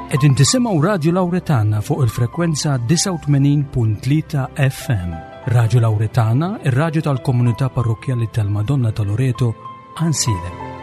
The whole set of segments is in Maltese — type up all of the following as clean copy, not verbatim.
Qegħdin tisimgħu Radju Lawretana fuq il-frekwenza 89.3 FM. Radju Lawretana, ir-radju tal-komunità parrokkjali tal-Madonna ta' Loreto, Ansilem.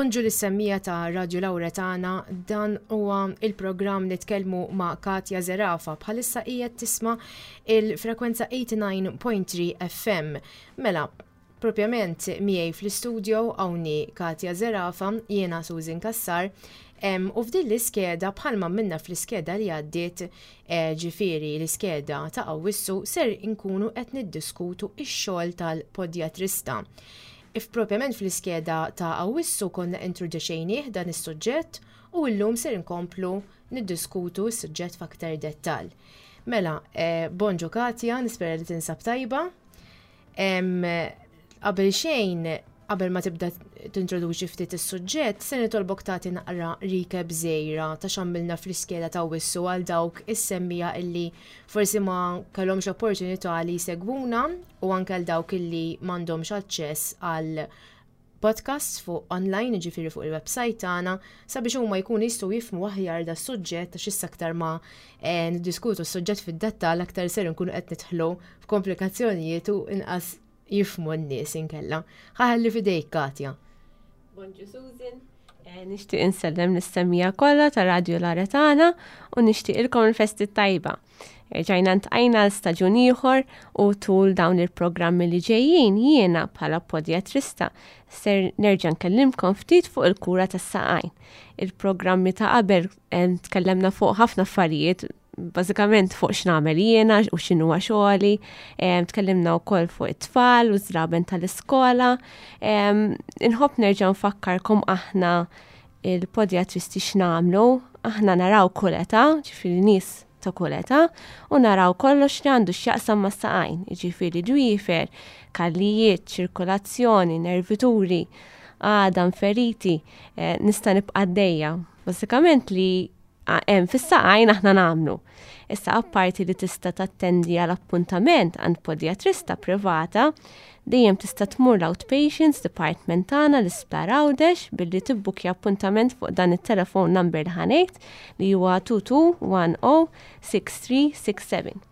Bonġu lis-semmija ta' Radio Lauretana, dan huwa il-programm Nitkellmu ma' Katja Zerafa. Bħalissa qiegħed tisma' il-frekwenza 89.3 FM. Mela, Propjament miegħi fl-istudio hawnni Katja Zerafa, jiena Susan Cassar, u f'din l-iskeda bħalma għamilna fl-iskeda li għaddiet, eh, ġifieri l-iskeda ta' Awwissu ser inkunu qed niddiskutu x-xogħol tal-podjatrista. If propjament fl-iskeda ta' Awwissu konna introduċejnieh dan is-suġġett u llum ser inkomplu niddiskutu s-suġġett f'aktar dettall. Mela, eh, bonġu Katja, nispera li tinsab tajba. Qabel xejn, qabel ma tibda tintroduċi ftit is-suġġett, se nitolbok tagħti naqra recap żgħira ta' x'għamilna fl-iskeda ta' Wissu għal dawk is-semmija illi forsi ma kellhomx opportunità li jsegwuna u anke għal dawk illi m'għandhomx aċċess għal podcasts fuq online, jiġifieri fuq il-website tagħna, sabiex huma jkunu jistgħu jifhmu aħjar da suġġett għax issa aktar ma eh, niddiskutu s-suġġett fid-dettall aktar ser nkunu qed nidħlu f'komplikazzjonijiet u inqas jifhmu n-nies inkella. Ħaħalli fidejk Katja. Bonġu Susan. Eh, nixtieq insellem lis-semmija kollha ta' Radio Laretana u nixtieqilkom il-festi tajba. Erġajna ntqajna għal staġun ieħor u tul dawn il-programmi li ġejjin jiena bħala podjatrista ser nerġa' nkellimkom ftit fuq il-kura tas-saqajn. Il-programmi ta' qabel eh, tkellemna fuq ħafna affarijiet bażikament fuq x'nagħmel jiena u x'inhuwa xogħli, eh, tkellimna wkoll fuq it-tfal u żraben tal-iskola. Eh, inħobb nerġa' nfakkarkom aħna il-podjatristi x'nagħmlu, aħna naraw kull età, ġifieri nies ta' kull età, u naraw kollox li għandu x'jaqsam mas-saqajn, jiġifieri dwiefer, kallijiet, ċirkolazzjoni, nervituri, għadam, feriti, eh, nista' nibqa' għaddejja. Bażikament li hemm fis-saqajn aħna nagħmlu. Issa apparti li tista' tattendi għal appuntament għand podjatrista privata, dejjem tista' tmur l-outpatients department tagħna l-Isptar Għawdex billi tibbukja appuntament fuq dan it-telephone number li ħanejt li huwa 2210 6367.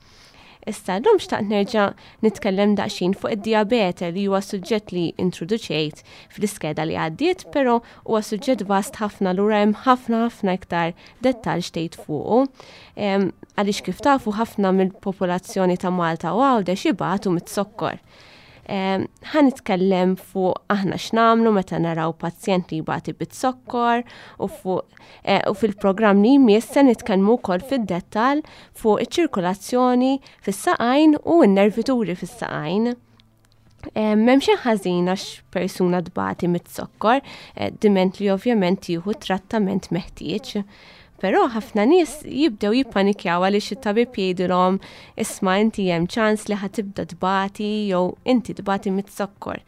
Issa llum xtaqt nerġa' nitkellem daqsxejn fuq id-dijabete li huwa suġġett li introduċejt fl-iskeda li għaddiet, però huwa suġġett vast ħafna lura hemm ħafna ħafna iktar dettall xtejt fuqu. Għaliex kif tafu ħafna mill-popolazzjoni ta' Malta u Għawdex ibatu mit-zokkor. Ħa nitkellem fuq aħna x'nagħmlu meta naraw pazjent li jbati bit-zokkor u fuq eh, u fil-programm li jmiss se nitkellmu wkoll fid-dettall fuq iċ-ċirkolazzjoni fis-saqajn u n-nervituri fis-saqajn. Eh, m'hemm xejn ħażin għax persuna tbati mit-zokkor, eh, diment li ovvjament jieħu trattament meħtieġ. Però ħafna nies jibdew jippanikjaw għaliex it-tabib jgħidilhom isma' inti hemm ċans li ħa tibda tbati jew inti tbati mit-zokkor.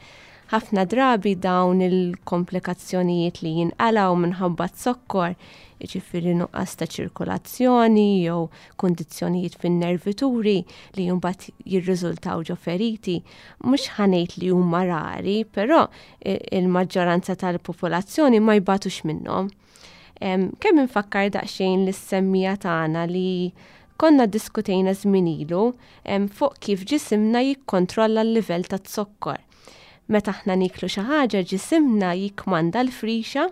Ħafna drabi dawn il-komplikazzjonijiet li jinqalgħu minħabba z-zokkor, jiġifieri nuqqas ta' ċirkolazzjoni jew kundizzjonijiet fin-nervituri li mbagħad jirriżultaw ġo feriti, mhux ħa ngħid li huma rari, però il-maġġoranza tal-popolazzjoni ma jbatux minnhom. Kemm infakkar daqsxejn lis-semmija tagħna li konna ddiskutejna żmien ilu fuq kif ġisimna jikkontrolla l-livell taz-zokkor. Meta aħna nieklu xi ħaġa ġisimna jikkmanda l-frixa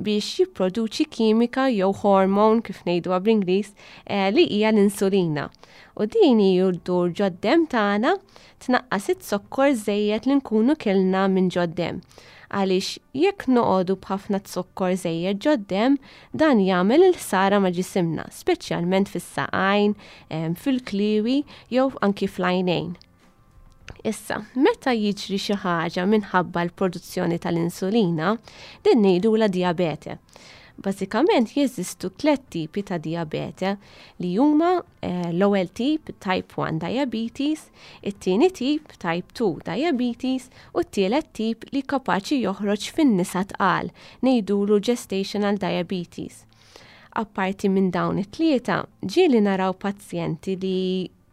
biex jipproduċi kimika jew hormone kif ngħiduha bl-Ingliż eh, li hija l-insulina. U din hi ddur ġod-demm tagħna tnaqqas iz-zokkor żejjed li nkunu kilna minn ġod-demm. Għaliex jekk noqogħdu b'ħafna zokkor żejjed ġod-demm, dan jagħmel il-ħsara ma' ġisimna, speċjalment fis-saqajn, fil-kliewi jew anki fl-għajnejn. Issa, meta jiġri xi ħaġa minħabba l-produzzjoni tal-insulina, din ngħidulha dijabete. Bażikament jeżistu tliet tipi ta' dijabete li huma eh, l-ewwel tip type 1 diabetes, it-tieni tip type 2 diabetes u t-tielet tip li kapaċi joħroġ fin-nisa tqal ngħidulu gestational diabetes. Apparti minn dawn it-tlieta, ġieli naraw pazjenti li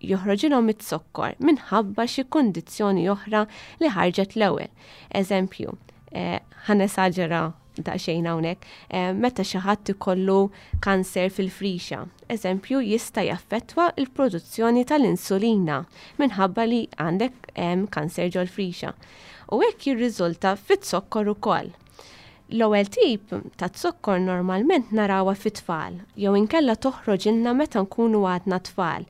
joħroġilhom iz-zokkor minħabba xi kundizzjoni oħra li ħarġet l-ewwel. Eżempju, eh, ħa nesaġera daqsxejn hawnhekk, eh, meta xi ħadd ikollu kanser fil-frixa. Eżempju, jista' jaffettwa l-produzzjoni tal-insulina minħabba li għandek kanser ġol-frixa. U hekk jirriżulta fit-zokkor ukoll. L-ewwel tip ta' zokkor normalment narawha fit-tfal jew inkella toħroġilna meta nkunu għadna tfal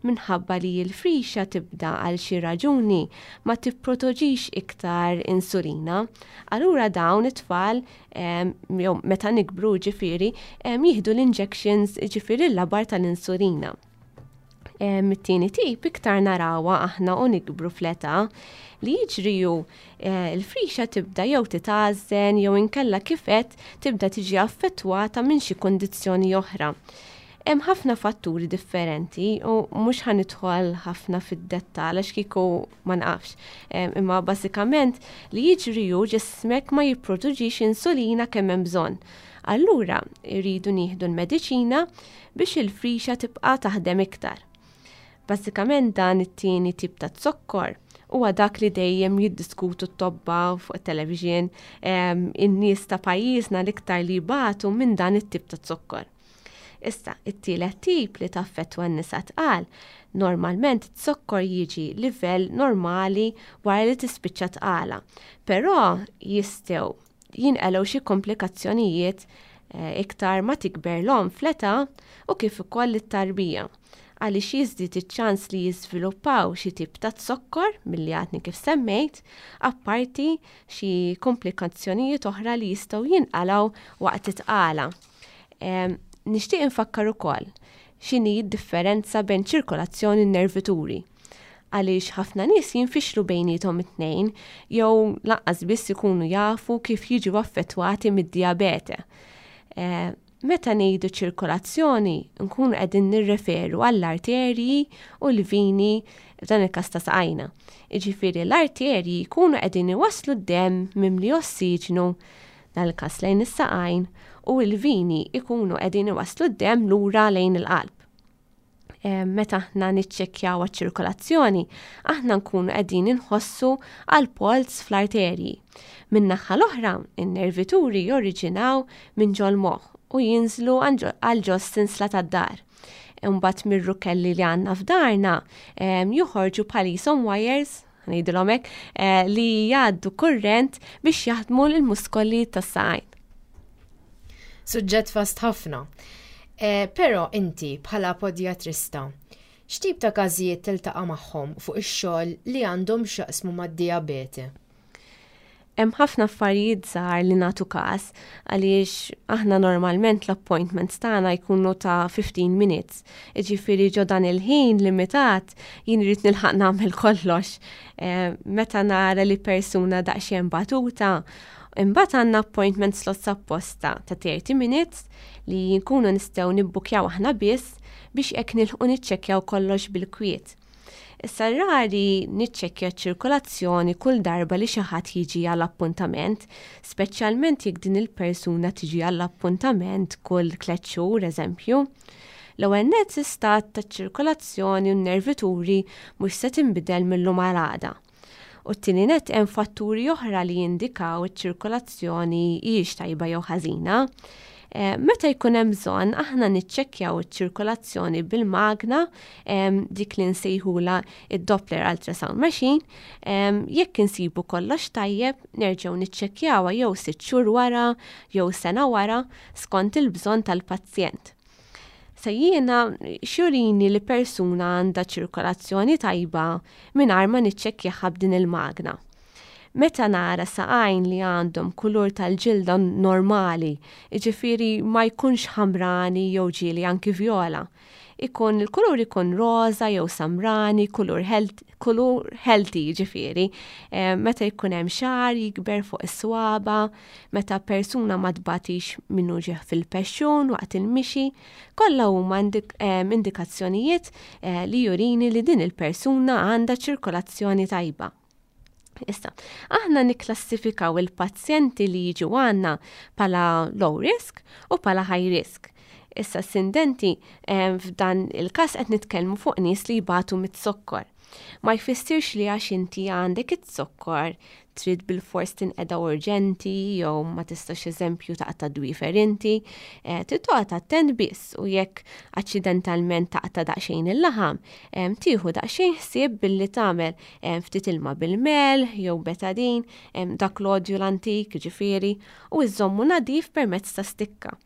minħabba li l-frixa tibda għal xi raġuni ma tipprotoġix iktar insulina. Allura dawn it-tfal jew meta nikbru ġifieri jieħdu l-injections ġifieri l-labar tal-insulina. Mit-tieni tip iktar narawha aħna u nikbru fl-età li jiġri hu eh, l-frixa tibda jew titgħażżen jew inkella kif qed tibda tiġi affettwata minn xi kundizzjoni oħra. Hemm ħafna fatturi differenti u mhux ħa nidħol ħafna fid-dettall għax kieku ma nafx. Imma bażikament li jiġri hu ġismek ma jipproduġix insulina kemm hemm bżonn. Allura jridu nieħdu l-mediċina biex il-frixa tibqa' taħdem iktar. Bażikament dan it-tieni tip ta' zokkor huwa dak li dejjem jiddiskutu t-tobba fuq it-television in-nies ta' pajjiżna l-iktar li jbatu minn dan it-tip ta' zokkor. Issa, it-tielet tip li taffettwa n-nisa tqal, normalment zokkor jiġi livell normali wara li tispiċċa tqala, però jistgħu jinqalgħu xi komplikazzjonijiet eh, iktar ma tikber l-omm fl-età u kif ukoll it-tarbija għaliex jiżdied iċ-ċans li jiżviluppaw xi tip ta' zokkor milli għadni kif semmejt, apparti xi komplikazzjonijiet oħra li jistgħu jinqalgħu waqt it-tqala. Nixtieq infakkar ukoll x'inhi d-differenza bejn ċirkolazzjoni u nervituri għaliex ħafna nies jinfixlu bejniethom it-tnejn jew lanqas biss ikunu jafu kif jiġu affettwati mid-dijabete. Eh, meta ngħidu ċirkolazzjoni, nkunu qegħdin nirreferu għall-arterji u l-vini f'dan il-każ ta' saqajna. Jiġifieri l-arterji jkunu qegħdin iwasslu d-demm mimli ossiġnu dan il-każ lejn is-saqajn u l-vini jkunu qegħdin iwasslu d-demm lura lejn il-qalb. Eh, meta aħna niċċekkjaw għaċ-ċirkolazzjoni, aħna nkunu qegħdin inħossu għal polz fl-arterji. Min-naħa l-oħra, in-nervituri joriġinaw minn ġol-moħħ u jinżlu għal ġo sinsla tad-dar. Imbagħad mir-rukelli li għandna f'darna joħorġu bħal qishom wires, ngħidilhom hekk, eh, li jgħaddu kurrent biex jaħdmu l-muskoli tas-saqajn. Suġġett vast ħafna. Eh, però inti bħala podjatrista, x'tip ta' każijiet tiltaqa' magħhom fuq ix-xogħol li għandhom x'jaqsmu mad-dijabete? Hemm ħafna affarijiet żgħar li nagħtu każ għaliex aħna normalment l-appointments tagħna jkunu ta' 15 minutes. Jiġifieri ġo dan il-ħin limitat jien irrid nilħaq nagħmel kollox. Eh, meta nara li persuna daqsxejn batuta, imbagħad għandna appointment slots apposta ta' 30 minutes li nkunu nistgħu nibbukjaw aħna biss biex hekk nilħqu niċċekkjaw kollox bil-kwiet. Issa rari niċċekkja ċ-ċirkolazzjoni kull darba li xi ħadd jiġi għal appuntament, speċjalment jekk din il-persuna tiġi għall appuntament kull tliet xhur eżempju. L-ewwel nett l-istat taċ-ċirkolazzjoni u n-nervituri mhux se tinbidel mil-lum għal għada. U t-tieni nett hemm fatturi oħra li jindikaw iċ-ċirkolazzjoni hijiex tajba jew ħażina. Eh, meta jkun hemm bżonn aħna niċċekkjaw iċ-ċirkolazzjoni bil-magna dik li nsejħula id-Doppler Ultrasound Machine, jekk insibu kollox tajjeb nerġgħu niċċekkjawha jew sitt xhur wara jew sena wara skont il-bżonn tal-pazjent. Se jiena xjurini li persuna għandha ċirkolazzjoni tajba mingħajr ma niċċekkjaha b'din il-magna. Meta nara saqajn li għandhom kulur tal-ġilda normali, jiġifieri ma jkunx ħamrani jew ġieli anki vjola. Ikun il-kulur ikun roża jew samrani, kulur health, kulur healthy jiġifieri. Eh, meta jkun hemm xagħar jikber fuq is-swaba, meta persuna ma tbatix minn uġigħ fil-pexxun waqt il-mixi, kollha huma eh, indikazzjonijiet eh, li jurini li din il-persuna għandha ċirkolazzjoni tajba. Issa, aħna nikklassifikaw il-pazjenti li jiġu għandna pala low risk u pala high risk. Issa sindenti eh, f'dan il-każ qed nitkellmu fuq nies li jbatu mit-zokkor. Ma jfissirx li għax inti għandek it-zokkor trid bilfors tinqeda urġenti jew ma tistax eżempju taqta' dwiefer inti, eh, trid toqgħod attent biss u jekk aċċidentalment taqta' daqsxejn il-laħam, eh, tieħu daqsxejn ħsieb billi tagħmel eh, ftit ilma bil-melħ jew betadin, dak l-odju l-antik, ġifieri, u iżommu nadif permezz ta' stikka.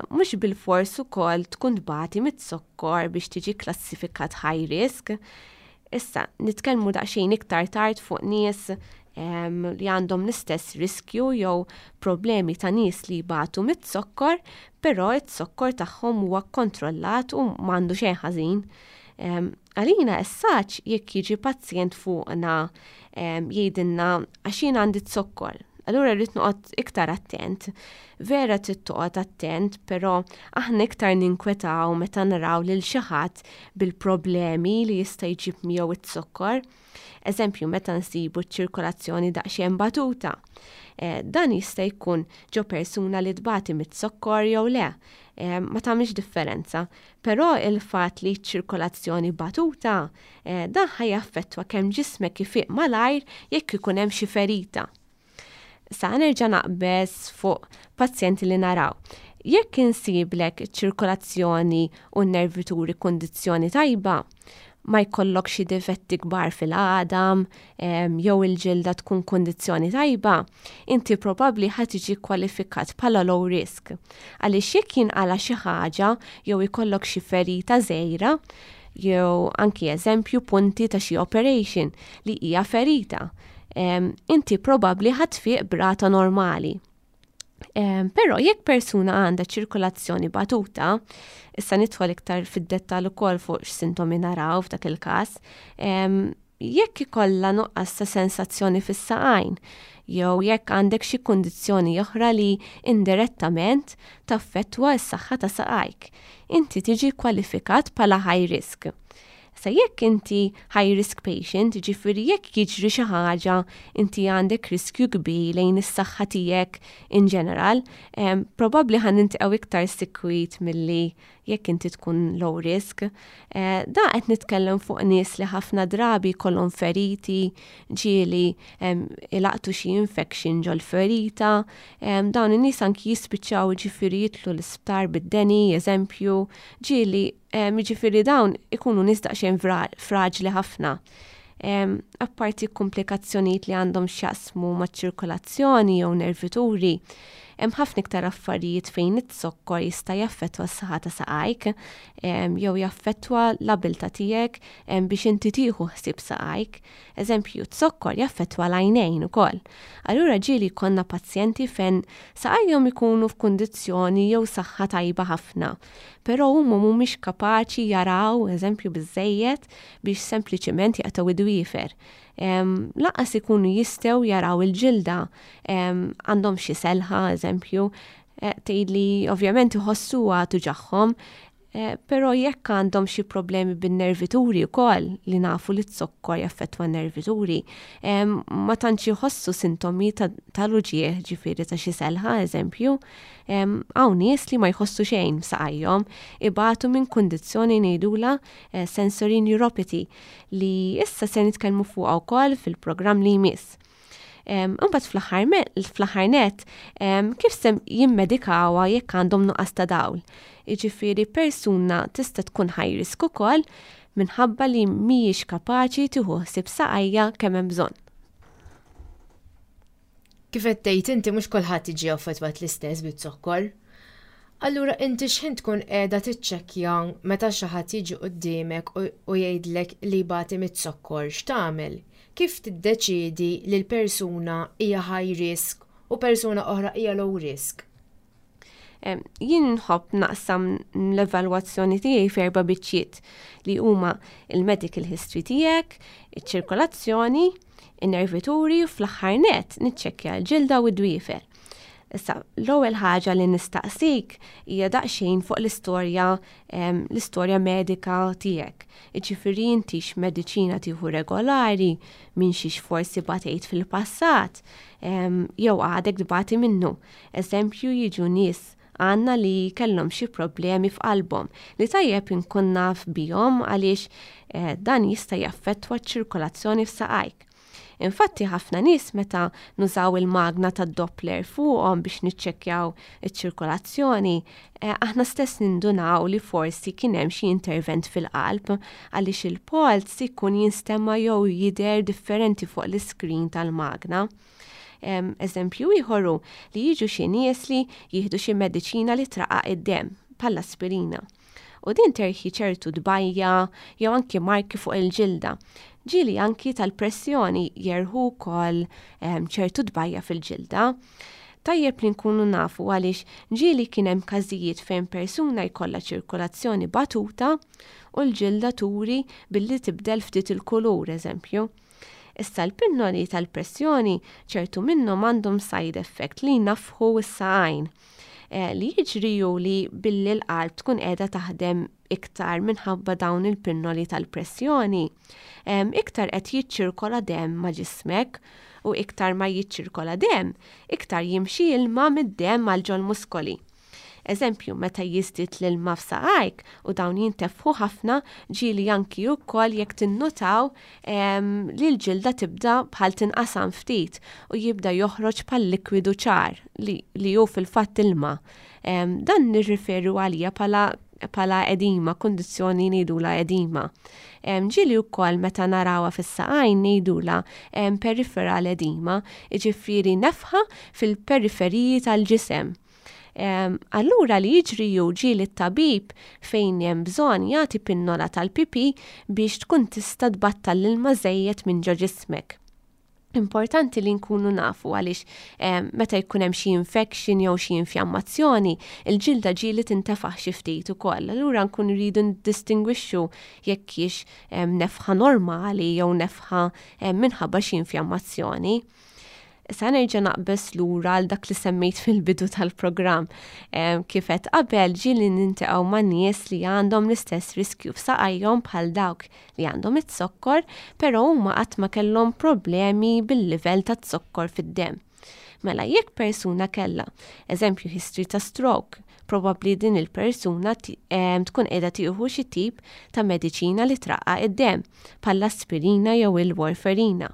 Mhux bilfors ukoll tkun tbati mit-zokkor biex tiġi klassifikat high risk. Issa, nitkellmu daqsxejn iktar tard fuq nies li għandhom l-istess riskju jew problemi ta' nies li jbatu mit-zokkor, però it-zokkor tagħhom huwa kontrollat u m'għandu xejn ħażin. Għalina essaċ jekk jiġi pazjent fuqna jgħidilna għax jien għandi zokkor. Allura rrid noqgħod iktar attent. Vera trid toqgħod attent, però aħna iktar ninkwetaw meta naraw lil xi ħadd bil-problemi li jista' jġib miegħu iz-zokkor. Eżempju, meta nsibu ċ-ċirkolazzjoni daqsxejn batuta. Eh, dan jista' jkun ġo persuna li tbati mit-zokkor jew le. Eh, ma tagħmilx differenza. Però il-fatt li ċ-ċirkolazzjoni batuta, eh, dan ħa jaffettwa kemm ġismek ifiq malajr jekk ikun hemm xi ferita. Sa nerġa' naqbeż fuq pazjenti li naraw. Jekk insiblek ċirkolazzjoni u n-nervituri kundizzjoni tajba, ma jkollok xi difetti kbar fil-għadam jew il-ġilda tkun kundizzjoni tajba, inti probabbli ħa tiġi kwalifikat bħala low risk. Għaliex jekk jinqala xi ħaġa jew ikollok xi ferita żgħira, jew anki eżempju punti ta' xi operation li hija ferita, inti probabbli ħa tfiq b'rata normali. Però jekk persuna għandha ċirkolazzjoni batuta, issa nidħol iktar fid-dettall ukoll fuq x'sintomi naraw f'dak il-każ, jekk ikollha nuqqas ta' sensazzjoni fis-saqajn, jew jekk għandek xi kundizzjoni oħra li indirettament taffettwa s-saħħa ta' saqajk, inti tiġi kwalifikat bħala high risk. Sa jekk inti high risk patient, ġifieri jekk jiġri xi ħaġa inti għandek riskju kbir lejn is-saħħa tiegħek in ġeneral, probabbli ħa niltaqgħu iktar sikwit milli jekk inti tkun low risk. Eh, da qed nitkellem fuq nies li ħafna drabi jkollhom feriti, ġieli ilaqtu xi infection ġol ferita, dawn in-nies anki jispiċċaw ġifieri jidħlu l-isptar bid-deni, eżempju, ġieli Jiġifieri dawn ikunu nies daqsxejn fraġli ħafna. Apparti komplikazzjonijiet li għandhom x'jaqsmu maċ-ċirkolazzjoni jew nervituri, hemm ħafna iktar affarijiet fejn iz-zokkor jista' jaffettwa s-saħħa ta' saqajk jew jaffettwa l-abilità tiegħek biex inti tieħu ħsieb saqajk. Eżempju, z-zokkor jaffettwa l-għajnejn ukoll. Allura ġieli jkollna pazjenti fejn saqajhom ikunu f'kundizzjoni jew saħħa tajba ħafna, però huma mhumiex kapaċi jaraw, eżempju, biżżejjed biex sempliċement jaqtgħu id-dwiefer. Lanqas ikunu jistgħu jaraw il-ġilda, għandhom xi selħa, eżempju, eh, tgħidli ovvjament iħossuha tuġagħhom, eh, però jekk għandhom xi problemi bin-nervituri wkoll li nafu li z-zokkor jaffettwa n-nervituri, ma tantx iħossu sintomi tal-uġigħ ġifieri ta' xi selħa, eżempju. Hawn nies li ma jħossu xejn f'saqajhom, ibatu minn kundizzjoni ngħidulha eh, sensory neuropathy li issa se nitkellmu fuqha wkoll fil-programm li jmiss. Imbagħad fl-aħħar net, kif se jimmedikawha jekk għandhom nuqqas ta' dawl? Jiġifieri persuna tista' tkun high risk ukoll minħabba li mhijiex kapaċi tieħu ħsieb saqajja kemm hemm bżonn. Kif qed tgħid inti mhux kulħadd jiġi affettwat l-istess biz-zokkor. Allura inti x'ħin tkun qiegħda tiċċekkja meta xi ħadd jiġi quddiemek u jgħidlek li jbati miz-zokkor, x'tagħmel? Kif tiddeċiedi li l-persuna hija high risk u persuna oħra hija low risk? Jien nħobb naqsam l-evalwazzjoni tiegħi f'erba' biċċiet li huma il-medical history tiegħek, iċ-ċirkolazzjoni, in-nervituri u fl-aħħar nett niċċekkja l-ġilda u d-dwiefer. Issa, l-ewwel ħaġa li nistaqsik hija daqsxejn fuq l-istorja l-istorja medika tiegħek. Jiġifieri inti x'mediċina tieħu regolari, minn xiex forsi batejt fil-passat, jew għadek tbati minnu. Eżempju jiġu nies għandna li kellhom xi problemi f'qalbhom li tajjeb inkun naf bihom għaliex eh, dan jista' jaffettwa ċ-ċirkolazzjoni f'saqajk. Infatti ħafna nies meta nużaw il-magna tad-Doppler fuqhom biex niċċekkjaw iċ-ċirkolazzjoni, eh, aħna stess nindunaw li forsi kien hemm xi intervent fil-qalb għaliex il-polz ikun jinstema' jew jidher differenti fuq l-iskrin tal-magna. Eżempju ieħor hu li jiġu xi nies li jieħdu xi mediċina li traqqaq id-demm, bħall-aspirina. U din terħi ċertu tbajja jew anki marki fuq il-ġilda. Ġieli anki tal-pressjoni jerħu wkoll ehm, ċertu tbajja fil-ġilda. Tajjeb li nkunu nafu għaliex ġieli kien hemm każijiet fejn persuna jkollha ċirkolazzjoni batuta u l-ġilda turi billi tibdel ftit il-kulur, eżempju. Issa l-pinnoli tal-pressjoni ċertu minnhom għandhom side effect li jnaffħu s-saqajn. Eh, li jiġri hu li billi l-qalb tkun qiegħda taħdem iktar minħabba dawn il-pinnoli tal-pressjoni, iktar qed jiċċirkola demm ma' ġismek u iktar ma jiċċirkola demm, iktar jimxi ilma mid-demm għal ġol-muskoli. Eżempju, meta jiżdied l-ilma f'saqajk u dawn jintefħu ħafna, ġieli anki wkoll jekk tinnutaw li l-ġilda tibda bħal tinqasam ftit u jibda joħroġ bħal likwidu ċar li, li hu fil-fatt ilma. Dan nirriferu għalija bħala bħala edima, kundizzjoni ngħidula edima. Ġieli wkoll meta narawha fis-saqajn ngħidula peripheral edima, jiġifieri nefħa fil-periferiji tal-ġisem. Allura li jiġri hu ġieli t-tabib fejn hemm bżonn jagħti pinnola tal-pipi biex tkun tista' tbattal l-ilma żejjed minn ġo ġismek. Importanti li nkunu nafu għaliex meta jkun hemm xi infection jew xi infjammazzjoni, il-ġilda ġieli tintefaħ xi ftit ukoll. Allura nkunu rridu ndistingwixxu jekk hix nefħa normali jew nefħa minħabba xi infjammazzjoni. Issa nerġa' naqbeż lura għal dak li semmejt fil-bidu tal-programm. Kif qed qabel ġieli nintaqgħu ma' nies li għandhom l-istess riskju f'saqajhom bħal dawk li għandhom iz-zokkor, però huma qatt ma kellhom problemi bil-livell ta' zokkor fid-demm. Mela jekk persuna kellha, eżempju history ta' stroke, probabbli din il-persuna tkun qiegħda tieħu xi tip ta' mediċina li traqqaq id-demm, bħall-aspirina jew il-warfarina.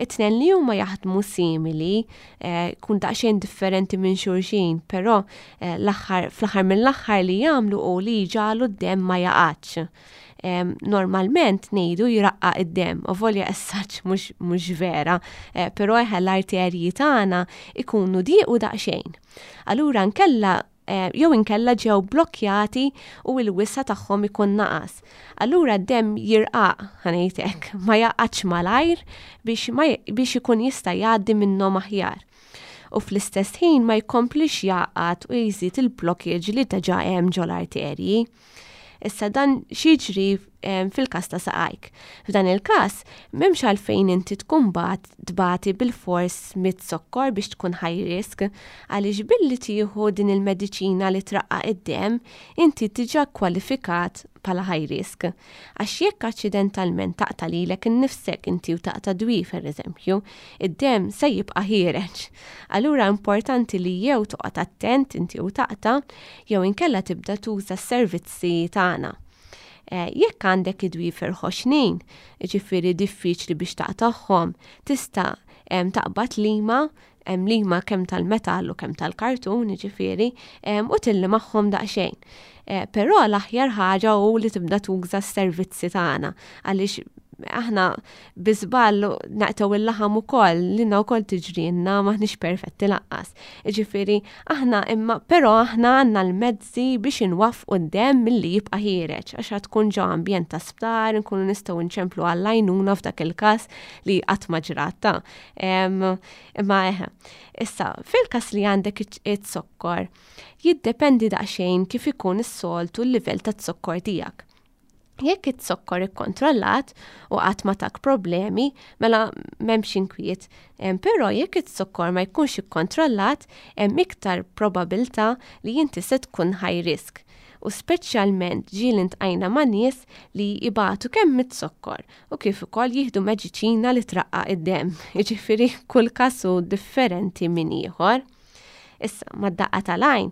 It-tnejn li huma jaħdmu simili, eh, kun daqsxejn differenti minn xulxin, però eh, l-aħħar fl-aħħar mill-aħħar li jagħmlu u li jġagħlu d-demm ma jaqgħadx. Normalment ngħidu jraqqaq id-demm, avolja essaċ mhux vera, eh, però eħe l-arterji tagħna ikunu diequ daqsxejn. Allura nkella eh, jew inkella ġew blokkjati u l-wisa tagħhom ikun naqas. Allura d-demm jirqaq, ħanejtek, ma jaqgħadx malajr biex, biex ikun jista' jgħaddi minnhom aħjar. U fl-istess ħin ma jkomplix jaqgħad u jżid il-blockage li diġà hemm ġol-arterji. Issa dan x'jiġri fil-każ ta' saqajk. F'dan il-każ, m'hemmx għalfejn inti tkun bat tbati bilfors mit-zokkor biex tkun high risk, għaliex billi tieħu din il-mediċina li traqqaq id-demm, inti diġà kwalifikat bħala high risk. Għax jekk aċċidentalment taqta' lilek innifsek inti u taqta' dwiefer eżempju, id-demm se jibqa' ħiereġ. Allura importanti li jew toqgħod attent inti u taqta' jew inkella tibda tuża s-servizzi tagħna. Eh, jekk għandek id-dwiefer ħoxnin, ġifieri diffiċli biex taqtagħhom, tista' taqbad lima, hemm lima kemm tal-metall u kemm tal-kartun, ġifieri, u tilli magħhom daqsxejn. Eh, però l-aħjar ħaġa hu li tibda tuża s-servizzi tagħna għaliex Aħna bi żball naqtgħu il-laħam ukoll, lilna wkoll tiġrilna m'aħniex perfetti lanqas. Jiġifieri aħna imma però aħna għandna l-mezzi biex inwaffqu d-demm milli jibqa' ħiereġ għax għad tkun ġo ambjent ta' sptar, nkunu nistgħu nċemplu għall-għajnuna f'dak il-każ li qatt ma ġrat ta'. Imma eħe. Issa, fil-każ li għandek iz-zokkor, jiddependi daqsxejn kif ikun is-soltu l-livell taz-zokkor tiegħek. Jekk iz-zokkor ikkontrollat u qatt ma tak problemi, mela m'hemmx inkwiet. Però jekk iz-zokkor ma jkunx ikkontrollat, hemm iktar probabilità li inti se tkun high risk. U speċjalment ġieli ntqajna ma' nies li jbatu kemm miz-zokkor u kif ukoll jieħdu mediċina li traqqaq id-demm. Jiġifieri kull każ hu differenti minn ieħor. Issa, mad-daqqa tal-għajn,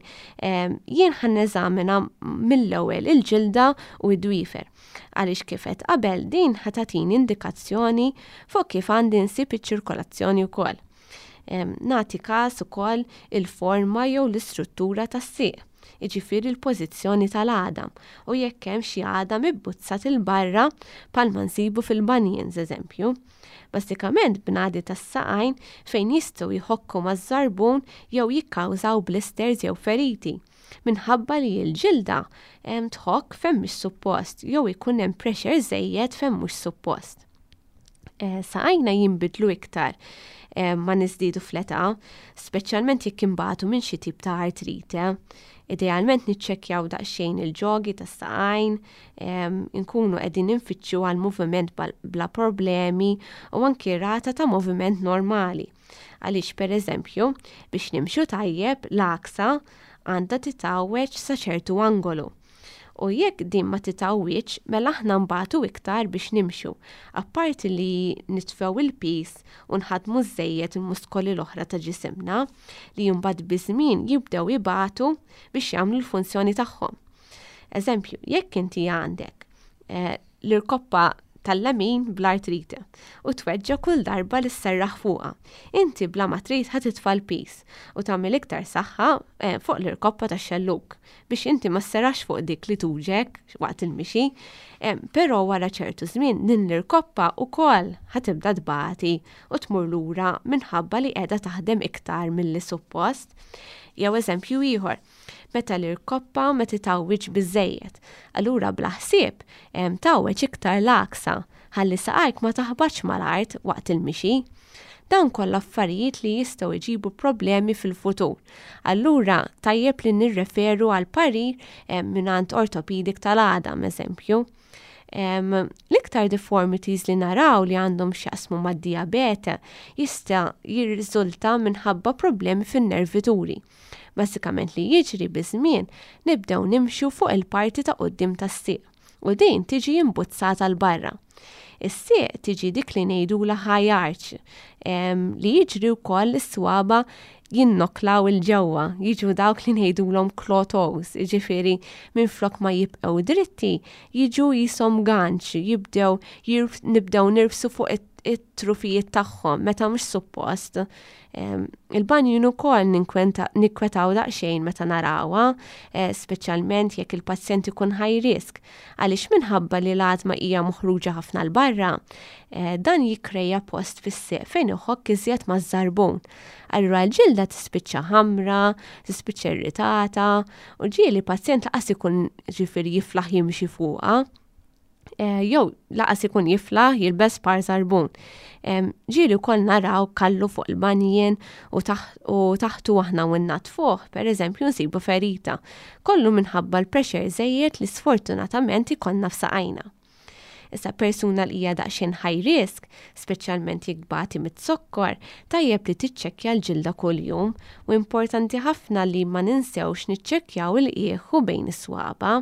jien ħa neżamina mill-ewwel il-ġilda u d-dwiefer. Għaliex kif għedt qabel din ħa tagħtini indikazzjoni fuq kif għandi nsib iċ-ċirkolazzjoni wkoll. Nagħti każ ukoll il-forma jew l-istruttura tas-sieq, jiġifieri l-pożizzjoni tal-għadam u jekk hemm xi għadam ibbuzzat 'il barra bħalma nsibu fil-bunions eżempju. Bażikament bnadi tas-saqajn fejn jistgħu jħokku maż-żarbun jew jikkawżaw blisters jew feriti, minħabba li l-ġilda tħokk fejn mhix suppost jew ikun hemm pressure żejjed fejn mhux suppost. Eh, saqajna jinbidlu iktar eh, ma niżdiedu fl-età, speċjalment jekk imbagħtu minn xi tip ta' artrite. Idealment niċċekkjaw daqsxejn il-ġogi tas-saqajn, inkunu qegħdin infittxu għal moviment bla problemi u anki rata ta' moviment normali. Għaliex pereżempju, biex nimxu tajjeb l-għaksa għandha titgħawweġ sa ċertu angolu. U jekk din ma titgħawwiġx, mela aħna nbatu iktar biex nimxu, apparti li nitfgħu il-piż u nħaddmu żżejjed il-muskoli l-oħra ta' ġisimna, li mbagħad biż-żmien jibdew ibatu biex jagħmlu l-funzjoni tagħhom. Eżempju, jekk inti għandek eh, l-irkoppa tal-lemin bl-artrite u tweġġa kull darba li sserraħ fuqha. Inti bla ma trid ħa titfa' l-piż u tagħmel iktar saħħa eh, fuq l-irkoppa tax-xellug biex inti ma sserraħx fuq dik li tuġek waqt il-mixi. Eh, però wara ċertu żmien din l-irkoppa wkoll ħa tibda tbati u tmur lura minħabba li qiegħda taħdem iktar milli suppost. Jew eżempju ieħor, meta l-irkoppa ma titgħawwiġx biżżejjed. Allura bla ħsieb tgħawweġ iktar l-għaksa ħalli saqajk ma taħbatx mal-art waqt il-mixi. Dawn kollha affarijiet li jistgħu jġibu problemi fil-futur. Allura tajjeb li nirreferu għal parir mingħand orthopaedic tal-għadam eżempju. L-iktar deformities li naraw li għandhom x'jaqsmu mad-dijabete jista' jirriżulta minħabba problemi fin-nervituri. Bażikament li jiġri biż-żmien nibdew nimxu fuq il-parti ta' quddiem tas-sieq u din tiġi imbuzzata 'l barra. Is-sieq tiġi dik li ngħidulha high arch li jiġri wkoll is-swaba jinnoklaw 'il ġewwa, jiġu dawk li ngħidulhom claw toes, jiġifieri minflok ma jibqgħu dritti, jiġu qishom ganċ, jibdew nibdew nirfsu fuq it-trufijiet tagħhom meta mhux suppost. Il-banjin ukoll nikkwetaw daqsxejn meta narawha, eh, speċjalment jekk il-pazjent ikun high risk, għaliex minħabba li l-għadma hija moħruġa ħafna 'l barra, eh, dan jikkreja post fis-sieq fejn iħokk iżjed maż-żarbun. Allura l-ġilda tispiċċa ħamra, tispiċċa irritata, u ġieli pazjent laqas ikun ġifieri jiflaħ jimxi fuqha. Eh, jew laqas ikun jiflaħ jilbes par żarbun. Ġieli wkoll naraw kallu fuq il-banjien u taħtu aħna u nnadfuh, per eżempju nsibu ferita. Kollu minħabba l-pressure żejjed li sfortunatament ikollna f'saqajna. Issa persuna li hija daqsxejn high risk, speċjalment jekk tbati mit-zokkor, tajjeb li tiċċekkja l-ġilda kuljum u importanti ħafna li ma ninsewx niċċekkjaw il-qiegħ u bejn is-swaba.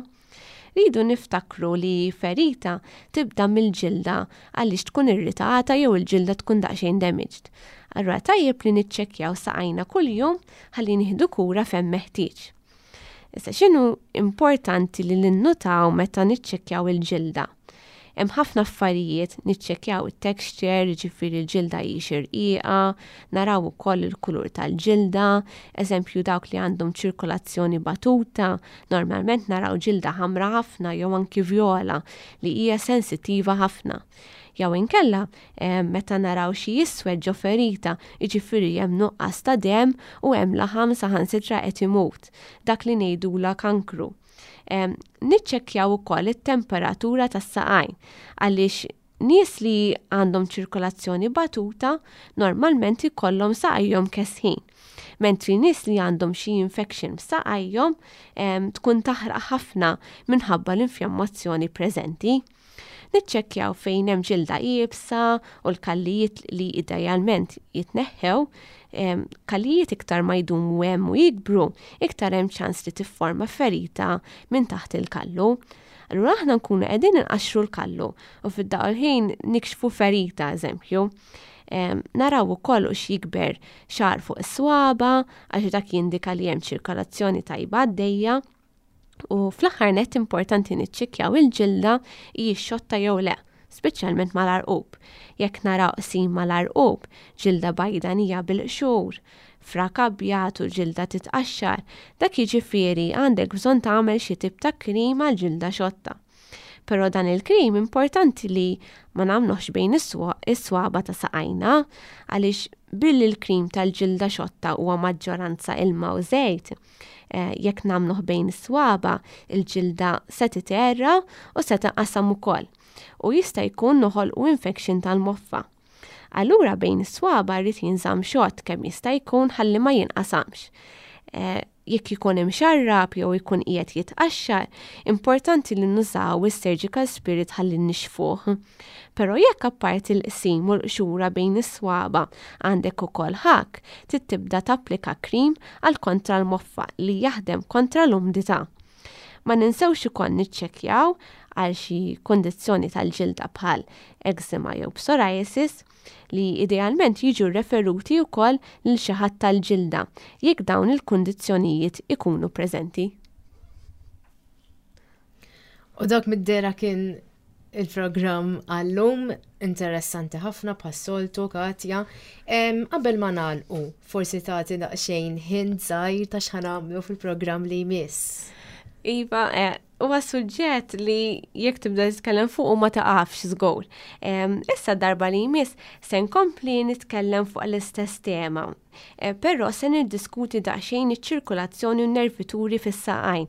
Rridu niftakru li ferita tibda mill-ġilda għaliex tkun irritata jew il-ġilda tkun daqsxejn damaged. Allura tajjeb li niċċekkjaw saqajna kuljum ħalli nieħdu kura fejn meħtieġ. Issa x'inhu importanti li ninnutaw meta niċċekkjaw il-ġilda? Hemm ħafna affarijiet, niċċekkjaw it-texture, jiġifieri l-ġilda hijiex irqiqa, naraw ukoll il-kulur tal-ġilda, eżempju dawk li għandhom ċirkolazzjoni batuta, normalment naraw ġilda ħamra ħafna jew anki vjola li hija sensittiva ħafna. Jew inkella meta naraw xi jiswed ġo ferita, jiġifieri hemm nuqqas ta' demm u hemm laħam saħansitra qed imut, dak li ngħidulha kankru. Niċċekkjaw ukoll it-temperatura tas-saqajn għaliex nies li għandhom ċirkolazzjoni batuta normalment ikollhom saqajhom kesħin. Mentri nies li għandhom xi infection f'saqajhom tkun taħraq ħafna minħabba l-infjammazzjoni preżenti. Niċċekkjaw fejn hemm ġilda iebsa u l-kallijiet li idealment jitneħħew, kallijiet iktar ma jdumu hemm u jikbru, iktar hemm ċans li tifforma ferita minn taħt il-kallu. Allura aħna nkunu qegħdin inqaxxru l-kallu u fid-daqqa l-ħin nikxfu ferita eżempju. Naraw ukoll u jikber xagħar fuq is-swaba għax dak jindika li hemm ċirkolazzjoni tajba għaddejja. U fl-aħħar nett importanti niċċekkjaw il-ġilda hijiex xotta jew le, speċjalment mal-għarqub. Jekk naraw qsim mal-għarqub, ġilda bajdanija bil-qxur, frak abjad u l-ġilda titqaxxar, dak jiġifieri għandek bżonn tagħmel xi tip ta' krim għal ġilda xotta. Però dan il-krim importanti li ma nagħmluhx bejn is-swaba ta' saqajna għaliex billi l-krim tal-ġilda xotta huwa maġġoranza ilma u żejt, Eh, jekk nagħmluh bejn is-swaba, il-ġilda se titerra u se tinqasam ukoll. U jista' jkun noħolqu infection tal-moffa. Allura bejn is-swaba rrid jinżamm xott kemm jista' jkun ħalli ma jinqasamx. Eh, jekk ikun imxarrab jew ikun qiegħed jitqaxxar, importanti li nużaw is-surgical spirit ħalli nixfuh. Però jekk apparti l-qsim u l-qxura bejn is-swaba għandek ukoll ħakk, trid tibda tapplika krim għal kontra l-moffa li jaħdem kontra l-umdità. Ma ninsewx ukoll niċċekkjaw għal xi kundizzjoni tal-ġilda bħal eczema jew psoriasis li idealment jiġu referuti wkoll lil xi ħadd tal-ġilda jekk dawn il-kundizzjonijiet ikunu preżenti. U dak mid-dera kien il-programm għallum interessanti ħafna bħas-soltu Katja. Qabel ma nagħlqu, forsi tagħti daqsxejn hint żgħir ta' x'ħanamlu fil-programm li jmiss. Iva, eh, huwa suġġett li jekk tibda titkellem fuq ma taqafx żgur. Issa darba li jmiss se nkompli nitkellem fuq l-istess tema. Eh, però se niddiskuti daqsxejn iċ-ċirkulazzjoni u n-nervituri fis-saqajn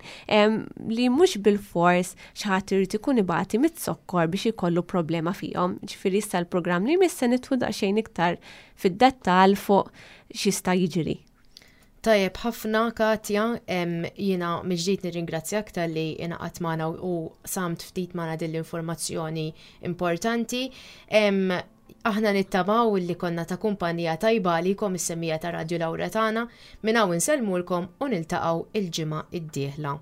li mhux bil-fors xi ħadd irid ikun ibati mit-zokkor biex ikollu problema fihom. Ġifieri issa l-programm li jmiss se nidħlu daqsxejn iktar fid-dettall fuq x'jista' jiġri. Tajjeb ħafna Katja, jiena mill-ġdid nirringrazzjak talli ingħaqadt magħna u samt ftit magħna din l-informazzjoni importanti. Aħna nittamaw li konna ta' kumpanija tajba għalikom is-semmiegħa ta' Radju Lauretana. Minn hawn insellmulkom u niltaqgħu il-ġimgħa d-dieħla.